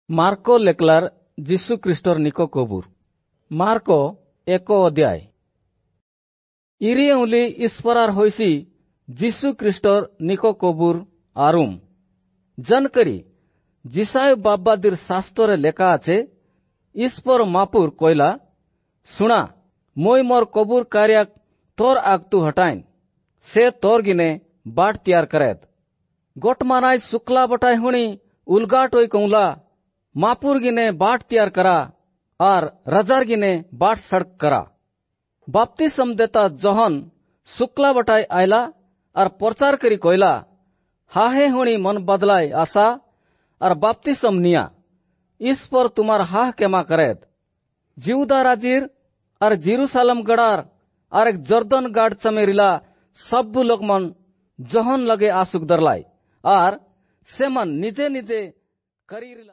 Marco लेकलार जीशु ख्रीष्टर निको कबूर। Marco 1 अध्याय। इरियउली ईश्वरार होइसी जीशु ख्रीष्टर निको कबूर आरुम। जनकरी जिसाय बाब्बादिर शास्त्रे লেখা আছে, ঈশ্বর মাপুর কইলা, শুনা মই মোর কবুর কারিয়াক তোর আগতু হটাইন, সে তোর গিনে বাট তিয়ার করেদ। গোটমানাই শুক্লা বটাই হুনি উলগাটই কৌলা, मापुर गिने बाट तैयार करा और रजार गिने बाट सड़क करा। बाप्तिस्म देता जोहन शुक्ला बटाई आयला और प्रचार करी कोयला, हाहे हुणी मन बदलाय आशा और बाप्तिस्म निया, ईश्वर तुम्हार हाह केमा करेद। जिउदा राजीर और जेरूसालम गड़ार और एक जर्दन गाड़ चमेरिला सब लोग मन जोहन लगे आसुक दरलाई और से मन निजे निजे करी।